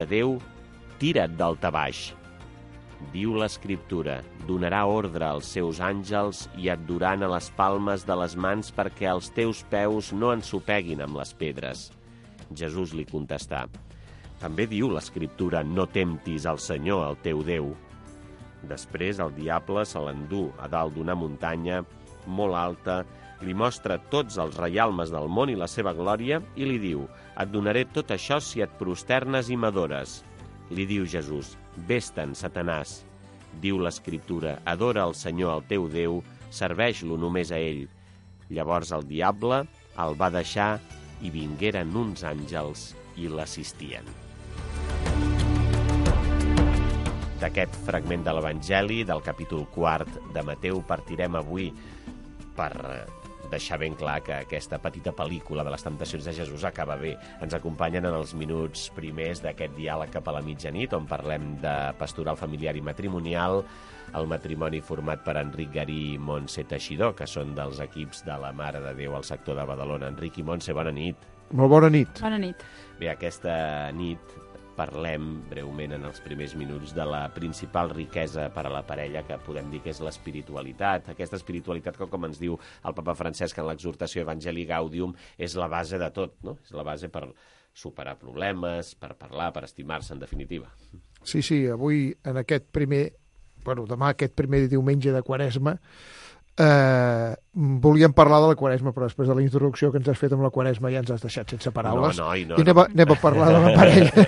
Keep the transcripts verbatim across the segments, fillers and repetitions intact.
de Déu, tira't d'alta baix. Diu l'Escriptura, donarà ordre als seus àngels i et duran a les palmes de les mans perquè els teus peus no ensopeguin amb les pedres. Jesús li contestà, també diu l'Escriptura, no temptis al Senyor, el teu Déu. Després el diable se l'endú a dalt d'una muntanya molt alta, li mostra tots els reialmes del món i la seva glòria i li diu, et donaré tot això si et prosternes i m'adores. Li diu Jesús, vés-te'n, Satanàs. Diu l'Escriptura, adora el Senyor, el teu Déu, serveix-lo només a ell. Llavors el diable el va deixar i vingueren uns àngels i l'assistien. D'aquest fragment de l'Evangeli, del capítol quart de Mateu, partirem avui per deixar ben clar que aquesta petita pel·lícula de les temptacions de Jesús acaba bé. Ens acompanyen en els minuts primers d'aquest diàleg cap a la mitjanit, on parlem de pastoral familiar i matrimonial, el matrimoni format per Enric Garí i Montse Teixidor, que són dels equips de la Mare de Déu al sector de Badalona. Enric i Montse, bona nit. Molt bona nit. Bona nit. Bé, aquesta nit parlem breument en els primers minuts de la principal riquesa per a la parella, que podem dir que és l'espiritualitat. Aquesta espiritualitat que, com ens diu el papa Francesc en l'exhortació Evangelii Gaudium, és la base de tot, no? És la base per superar problemes, per parlar, per estimar-se, en definitiva. Sí, sí, avui en aquest primer, bueno, demà aquest primer diumenge de Quaresma, Eh, volíem parlar de la Quaresma, però després de la introducció que ens has fet amb la Quaresma ja ens has deixat sense paraules. No, no, no, I anem a, anem a parlar de la parella.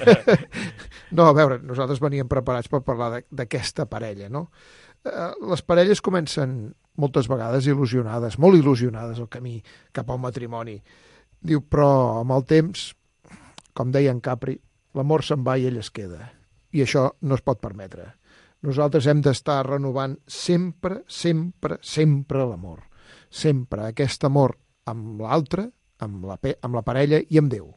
No, a veure, nosaltres veníem preparats per parlar d'aquesta parella, no? Eh, les parelles comencen moltes vegades il·lusionades, molt il·lusionades al camí cap al matrimoni. Diu, però amb el temps, com deia en Capri, l'amor se'n va i ell es queda. I això no es pot permetre. Nosaltres hem d'estar renovant sempre, sempre, sempre l'amor. Sempre aquest amor amb l'altre, amb la, amb la parella i amb Déu.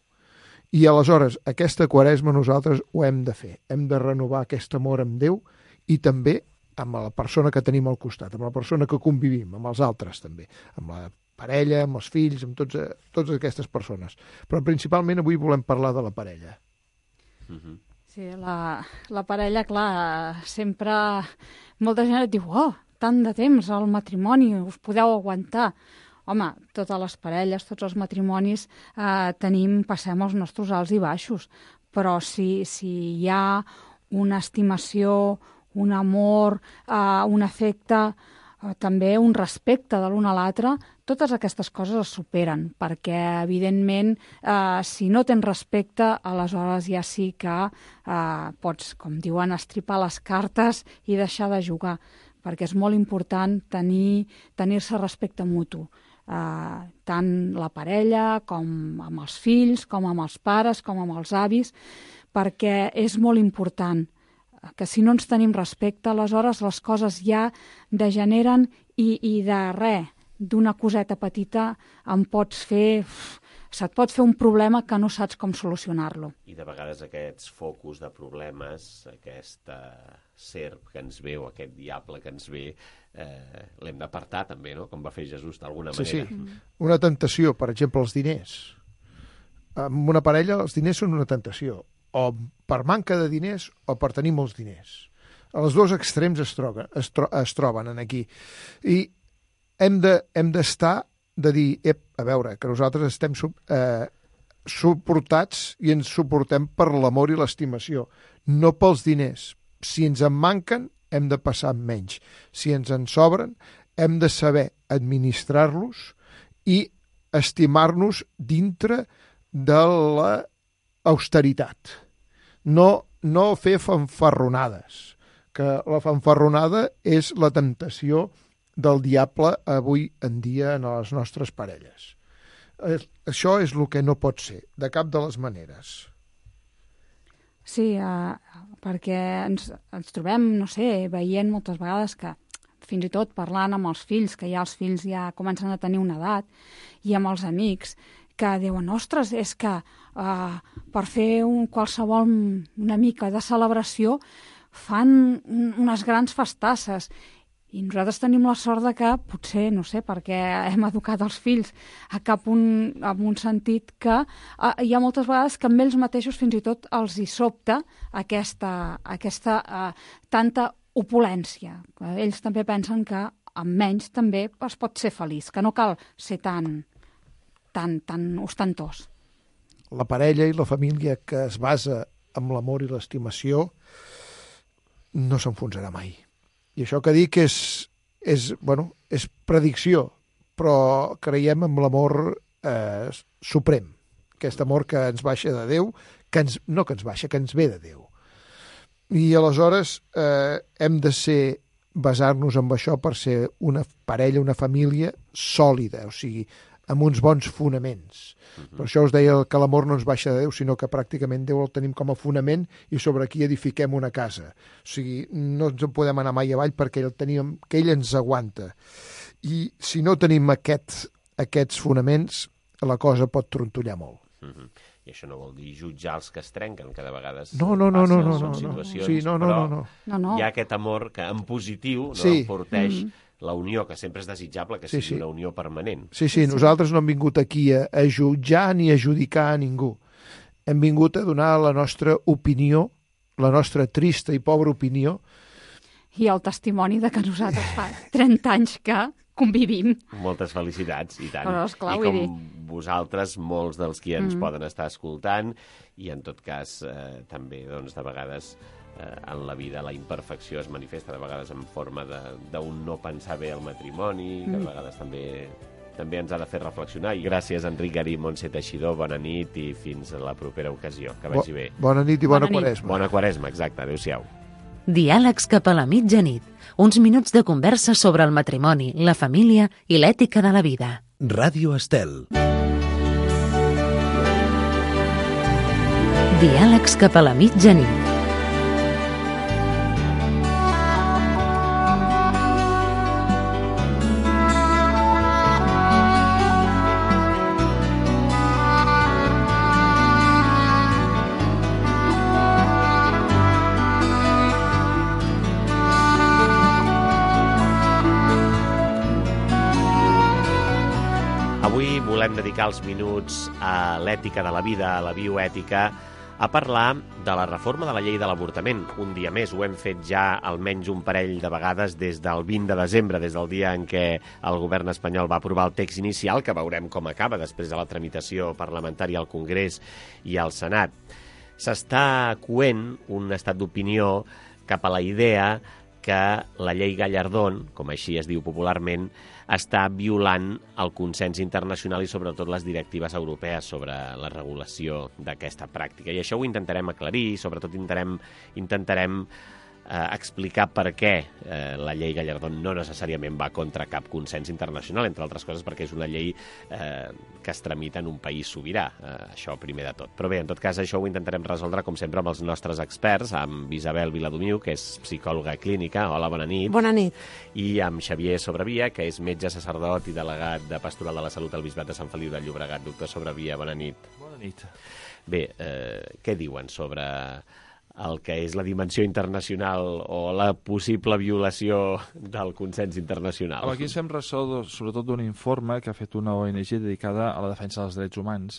I aleshores, aquesta Quaresma nosaltres ho hem de fer. Hem de renovar aquest amor amb Déu i també amb la persona que tenim al costat, amb la persona que convivim, amb els altres també, amb la parella, amb els fills, amb tots, totes aquestes persones. Però principalment avui volem parlar de la parella. Mhm. Sí, la, la parella, clar, sempre molta gent et diu, oh, tant de temps al matrimoni, us podeu aguantar. Home, totes les parelles, tots els matrimonis eh, tenim, passem els nostres alts i baixos, però si, si hi ha una estimació, un amor, eh, un afecte, eh, també un respecte de l'un a l'altre, totes aquestes coses es superen, perquè, evidentment, eh, si no tens respecte, aleshores ja sí que eh, pots, com diuen, estripar les cartes i deixar de jugar, perquè és molt important tenir, tenir-se respecte mutu, eh, tant la parella com amb els fills, com amb els pares, com amb els avis, perquè és molt important que si no ens tenim respecte, aleshores les coses ja degeneren i, i de res, d'una coseta petita em pots fer, se't pot fer un problema que no saps com solucionar-lo. I de vegades aquests focus de problemes, aquesta serp que ens ve o aquest diable que ens ve, eh, l'hem d'apartar també, no? Com va fer Jesús d'alguna manera. Sí, sí. Una tentació, per exemple, els diners. En una parella els diners són una tentació, o per manca de diners o per tenir molts diners. Els dos extrems es, troben, es, tro es troben en aquí. I hem de, hem d'estar de dir, ep, a veure, que nosaltres estem eh, suportats i ens suportem per l'amor i l'estimació, no pels diners. Si ens en manquen, hem de passar amb menys. Si ens en sobren, hem de saber administrar-los i estimar-nos dintre de l'austeritat. No, no fer fanfarronades, que la fanfarronada és la temptació del diable avui en dia en les nostres parelles. Això és el que no pot ser, de cap de les maneres. Sí, uh, perquè ens, ens trobem, no sé, veient moltes vegades que fins i tot parlant amb els fills, que ja els fills ja comencen a tenir una edat, i amb els amics, que diuen, ostres, és que uh, per fer un, qualsevol una mica de celebració fan unes grans festasses. I nosaltres tenim la sort de que, potser, no sé, perquè hem educat els fills a cap un, en un sentit que eh, hi ha moltes vegades que amb ells mateixos fins i tot els hi sobta aquesta, aquesta eh, tanta opulència. Ells també pensen que amb menys també es pot ser feliç, que no cal ser tan, tan, tan ostentós. La parella i la família que es basa en l'amor i l'estimació no s'enfonsarà mai. I això que dic és, és, bueno, és predicció, però creiem en l'amor eh, suprem, aquest amor que ens baixa de Déu, que ens, no que ens baixa, que ens ve de Déu. I aleshores eh, hem de ser, basar-nos en això per ser una parella, una família sòlida, o sigui, amb uns bons fonaments. Uh-huh. Per això us deia que l'amor no ens baixa de Déu, sinó que pràcticament Déu el tenim com a fonament i sobre aquí edifiquem una casa. O sigui, no ens en podem anar mai avall perquè ell, tenim, que ell ens aguanta. I si no tenim aquest, aquests fonaments, la cosa pot trontollar molt. Uh-huh. I això no vol dir jutjar els que es trenquen, que de vegades no, no, no, no, no, són no, situacions, sí, no, no, però no, no. No, no. hi ha aquest amor que en positiu no, sí. porteix mm. la unió, que sempre és desitjable que sí, sigui sí. una unió permanent. Sí, sí, nosaltres no hem vingut aquí a, a jutjar ni a judicar a ningú. Hem vingut a donar la nostra opinió, la nostra trista i pobra opinió. I el testimoni de que nosaltres fa trenta anys que convivim. Moltes felicitats, i tant. Però, esclar, I com dir... vosaltres, molts dels qui ens mm. poden estar escoltant, i en tot cas eh, també, doncs, de vegades eh, en la vida la imperfecció es manifesta de vegades en forma d'un no pensar bé al matrimoni, que de vegades també també ens ha de fer reflexionar. I gràcies, Enric Garí, Montse Teixidor, bona nit i fins a la propera ocasió. Que vagi bé. Bo, bona nit i bona, bona quaresma. Bona quaresma, exacte. Adéu-siau. Diàlegs cap a la mitjanit. Uns minuts de conversa sobre el matrimoni, la família i l'ètica de la vida. Ràdio Estel. Diàlegs cap a la mitjanit. Avui volem dedicar els minuts a l'ètica de la vida, a la bioètica, a parlar de la reforma de la llei de l'avortament. Un dia més, ho hem fet ja almenys un parell de vegades des del vint de desembre, des del dia en què el govern espanyol va aprovar el text inicial, que veurem com acaba després de la tramitació parlamentària al Congrés i al Senat. S'està coent un estat d'opinió cap a la idea que la llei Gallardón, com així es diu popularment, està violant el consens internacional i sobretot les directives europees sobre la regulació d'aquesta pràctica. I això ho intentarem aclarir i sobretot intentarem, intentarem eh, explicar per què eh, la llei Gallardón no necessàriament va contra cap consens internacional, entre altres coses perquè és una llei eh, que es tramita en un país sobirà, eh, això primer de tot. Però bé, en tot cas, això ho intentarem resoldre, com sempre, amb els nostres experts, amb Isabel Viladomiu, que és psicòloga clínica. Hola, bona nit. Bona nit. I amb Xavier Sobrevia, que és metge sacerdot i delegat de Pastoral de la Salut al Bisbat de Sant Feliu de Llobregat. Doctor Sobrevia, bona nit. Bona nit. Bé, eh, què diuen sobre el que és la dimensió internacional o la possible violació del consens internacional? Aquí ens fem ressò, sobretot, d'un informe que ha fet una O N G dedicada a la defensa dels drets humans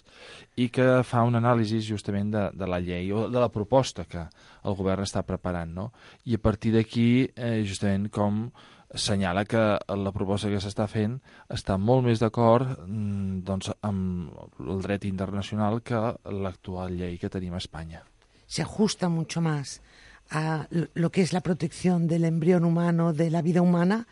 i que fa un anàlisi justament de, de la llei o de la proposta que el govern està preparant, no? I a partir d'aquí, eh, justament com assenyala que la proposta que s'està fent està molt més d'acord doncs, amb el dret internacional que l'actual llei que tenim a Espanya. Se ajusta mucho más a lo que es la protección del embrión humano, de la vida humana,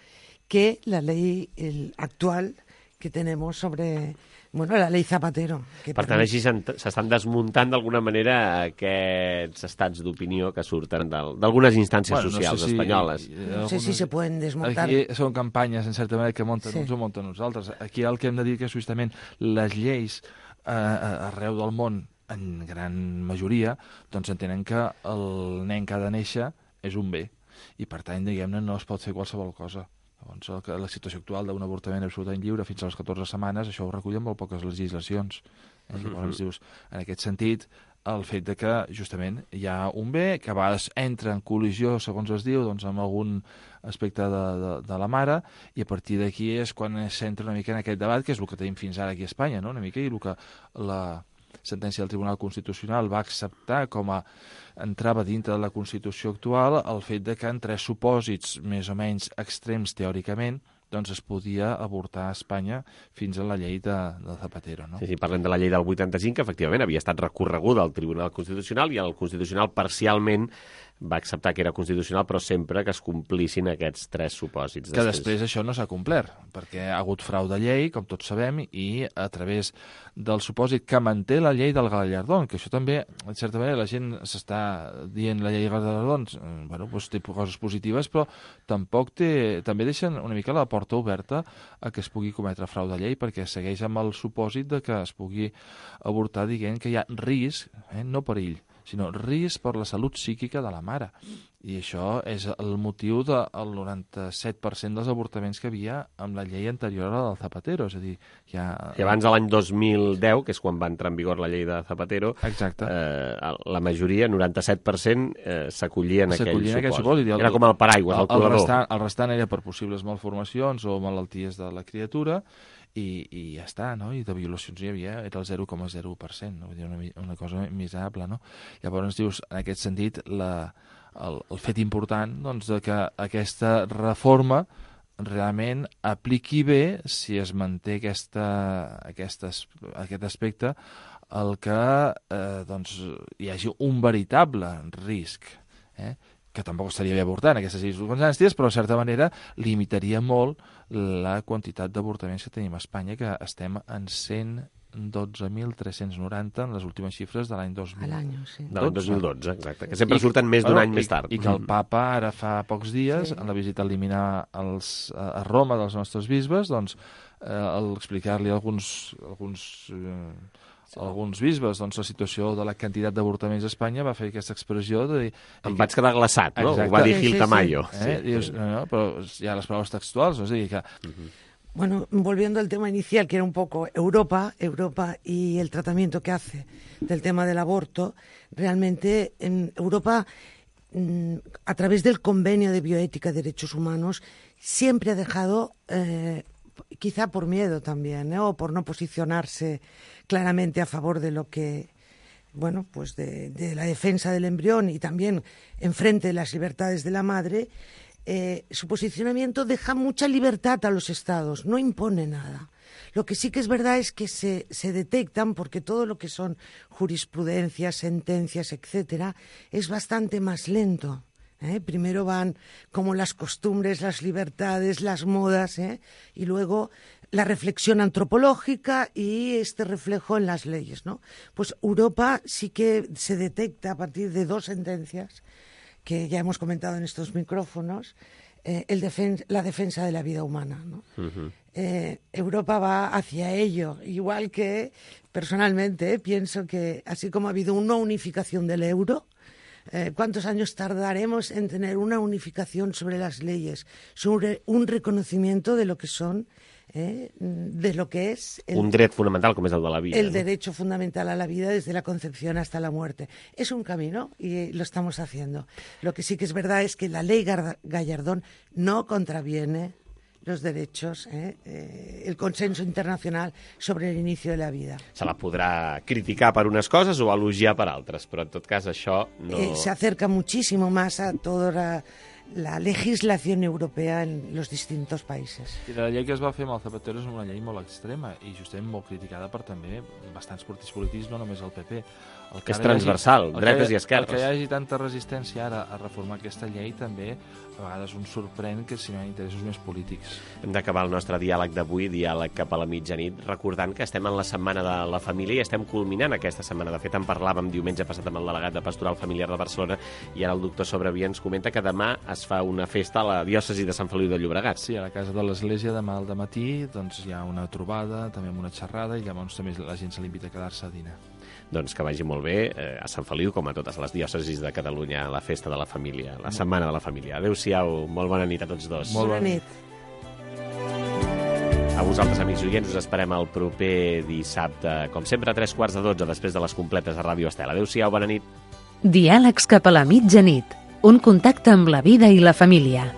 que la ley el actual que tenemos sobre, bueno, la ley Zapatero. Que per tant, així s'estan desmuntant d'alguna manera aquests estats d'opinió que surten d'algunes instàncies bueno, socials no sé si, espanyoles. No sé si se poden desmuntar. Aquí són campanyes, en certa manera, que munten sí. uns o munten uns altres. Aquí el que hem de dir que és justament les lleis eh, arreu del món en gran majoria, doncs entenen que el nen que ha de néixer és un bé, i per tant, diguem-ne, no es pot fer qualsevol cosa. Llavors, la situació actual d'un avortament absolutament lliure fins a les catorze setmanes, això ho recullen molt poques legislacions. Eh? Llavors, dius, en aquest sentit, el fet de que justament hi ha un bé que a vegades entra en col·lisió, segons es diu, doncs, amb algun aspecte de, de, de la mare, i a partir d'aquí és quan s'entra una mica en aquest debat, que és el que tenim fins ara aquí a Espanya, no? Una mica, i el que la sentència del Tribunal Constitucional va acceptar com a entrava dintre de la Constitució actual el fet de que en tres supòsits més o menys extrems teòricament doncs es podia avortar a Espanya fins a la llei de, de Zapatero. No? Sí, sí, parlem de la llei del vuitanta-cinc, que efectivament havia estat recorreguda al Tribunal Constitucional i el Constitucional parcialment va acceptar que era constitucional, però sempre que es complissin aquests tres supòsits. Que després, després això no s'ha complert, perquè ha hagut frau de llei, com tots sabem, i a través del supòsit que manté la llei del Gallardón, que això també, en certa manera, la gent s'està dient la llei del Gallardón, bueno, doncs té coses positives, però tampoc té, també deixen una mica la porta oberta a que es pugui cometre frau de llei, perquè segueix amb el supòsit de que es pugui avortar dient que hi ha risc, eh, no perill, sinó risc per la salut psíquica de la mare. I això és el motiu del noranta-set per cent dels avortaments que havia amb la llei anterior a la del Zapatero. És a dir, ja... I abans de l'any dos mil deu, que és quan va entrar en vigor la llei de Zapatero, exacte. Eh, la majoria, noranta-set per cent, eh, s'acollien a aquell supòsit. Aquell supòsit. El, era com el paraigües, el, el colador. El restant, el restant era per possibles malformacions o malalties de la criatura, i, i ja està, no? I de violacions hi havia, era el zero coma zero per cent, no? Vull dir, una, una cosa miserable, no? Llavors, dius, en aquest sentit, la, el, el fet important, doncs, de que aquesta reforma realment apliqui bé, si es manté aquesta, aquesta, aquest aspecte, el que eh, doncs, hi hagi un veritable risc, eh? Que tampoc estaria bé avortar en aquestes circumstàncies, però de certa manera limitaria molt la quantitat d'avortaments que tenim a Espanya, que estem en cent dotze mil tres-cents noranta en les últimes xifres de l'any dos mil dotze. Sí. De l'any dos mil dotze, exacte, que sempre I, surten més d'un bueno, any i, més tard. I que el papa ara fa pocs dies, sí. en la visita a eliminar els, a Roma dels nostres bisbes, doncs, eh, al explicar-li alguns... alguns eh, alguns bisbes, doncs la situació de la quantitat d'avortaments a Espanya va fer aquesta expressió de dir... Em vaig quedar glaçat, no? Exacte. Ho va dir Gil sí, sí, Tamayo. sí. Eh? Sí. Dius, no, no, però hi ha les paraules textuals, no? És a dir, que... Uh-huh. Bueno, volviendo al tema inicial, que era un poco Europa, Europa y el tratamiento que hace del tema del aborto, realmente en Europa, a través del Convenio de Bioética y Derechos Humanos, siempre ha dejado, eh, quizá por miedo también, ¿eh? O por no posicionarse claramente a favor de lo que, bueno, pues de, de la defensa del embrión y también enfrente de las libertades de la madre, eh, su posicionamiento deja mucha libertad a los estados, no impone nada. Lo que sí que es verdad es que se, se detectan, porque todo lo que son jurisprudencias, sentencias, etcétera, es bastante más lento. ¿Eh? Primero van como las costumbres, las libertades, las modas, ¿eh? Y luego la reflexión antropológica y este reflejo en las leyes, ¿no? Pues Europa sí que se detecta a partir de dos sentencias que ya hemos comentado en estos micrófonos, eh, el defen- la defensa de la vida humana, ¿no? Uh-huh. eh, Europa va hacia ello, igual que personalmente eh, pienso que así como ha habido una unificación del euro, Eh, ¿cuántos años tardaremos en tener una unificación sobre las leyes, sobre un reconocimiento de lo que son, eh, de lo que es el, un dret fonamental com és el de la vida, el no? derecho fundamental a la vida desde la concepción hasta la muerte? Es un camino y lo estamos haciendo. Lo que sí que es verdad es que la ley Gallardón no contraviene los derechos, eh, eh, el consenso internacional sobre el inicio de la vida. Se la podrà criticar per unes coses o elogiar per altres, però en tot cas això no... Eh, se acerca muchísimo más a toda la, la legislación europea en los distintos países. I la llei que es va fer amb el Zapatero és una llei molt extrema i justament molt criticada per també bastants partits polítics, no només el P P. El que és transversal, hagi, dretes que, i esquerres. El que hi hagi tanta resistència ara a reformar aquesta llei també a vegades un sorprèn que si no hi ha interessos més polítics. Hem d'acabar el nostre diàleg d'avui, diàleg cap a la mitjanit, recordant que estem en la Setmana de la Família i estem culminant aquesta setmana. De fet, en parlàvem diumenge passat amb el delegat de Pastoral Familiar de Barcelona i ara el doctor Sobrevia ens comenta que demà es fa una festa a la diòcesi de Sant Feliu de Llobregat. Sí, a la casa de l'Església demà al dematí doncs, hi ha una trobada, també amb una xerrada i llavors també la gent se l'invita a quedar-se a dinar. Doncs que vagi molt bé eh, a Sant Feliu, com a totes les diòcesis de Catalunya, a la festa de la família, la Setmana de la Família. Adéu-siau, molt bona nit a tots dos. Molt bona nit. A vosaltres, amics oients, us esperem el proper dissabte, com sempre, a tres quarts de dotze, després de les completes de Ràdio Estel. Adéu-siau, bona nit. Diàlegs cap a la mitjanit. Un contacte amb la vida i la família.